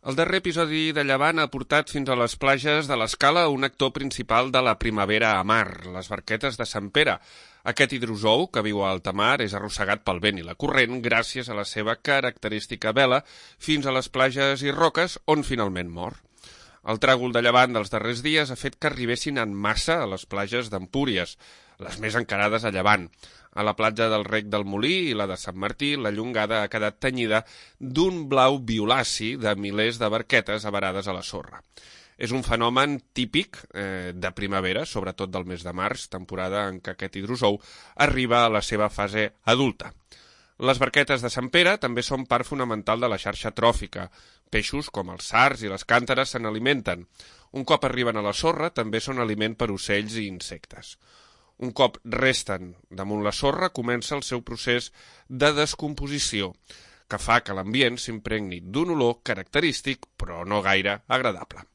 El darrer episodi de Llevant ha portat fins a les platges de l'Escala un actor principal de la primavera a mar, les barquetes de Sant Pere. Aquest hidrozou, que viu a alta mar, és arrossegat pel vent i la corrent gràcies a la seva característica vela fins a les platges i roques on finalment mor. El tràgol de llevant dels darrers dies ha fet que arribessin en massa a les platges d'Empúries, les més encarades a llevant. A la platja del Rec del Molí i la de Sant Martí, la llongada ha quedat tenyida d'un blau violaci de milers de barquetes avarades a la sorra. És un fenomen típic de primavera, sobretot del mes de març, temporada en què aquest hidrozou arriba a la seva fase adulta. Les barquetes de Sant Pere també són part fonamental de la xarxa tròfica. Peixos com els sards i les càntares se n'alimenten. Un cop arriben a la sorra, també són aliment per ocells i insectes. Un cop resten damunt la sorra, comença el seu procés de descomposició, que fa que l'ambient s'impregni d'un olor característic, però no gaire agradable.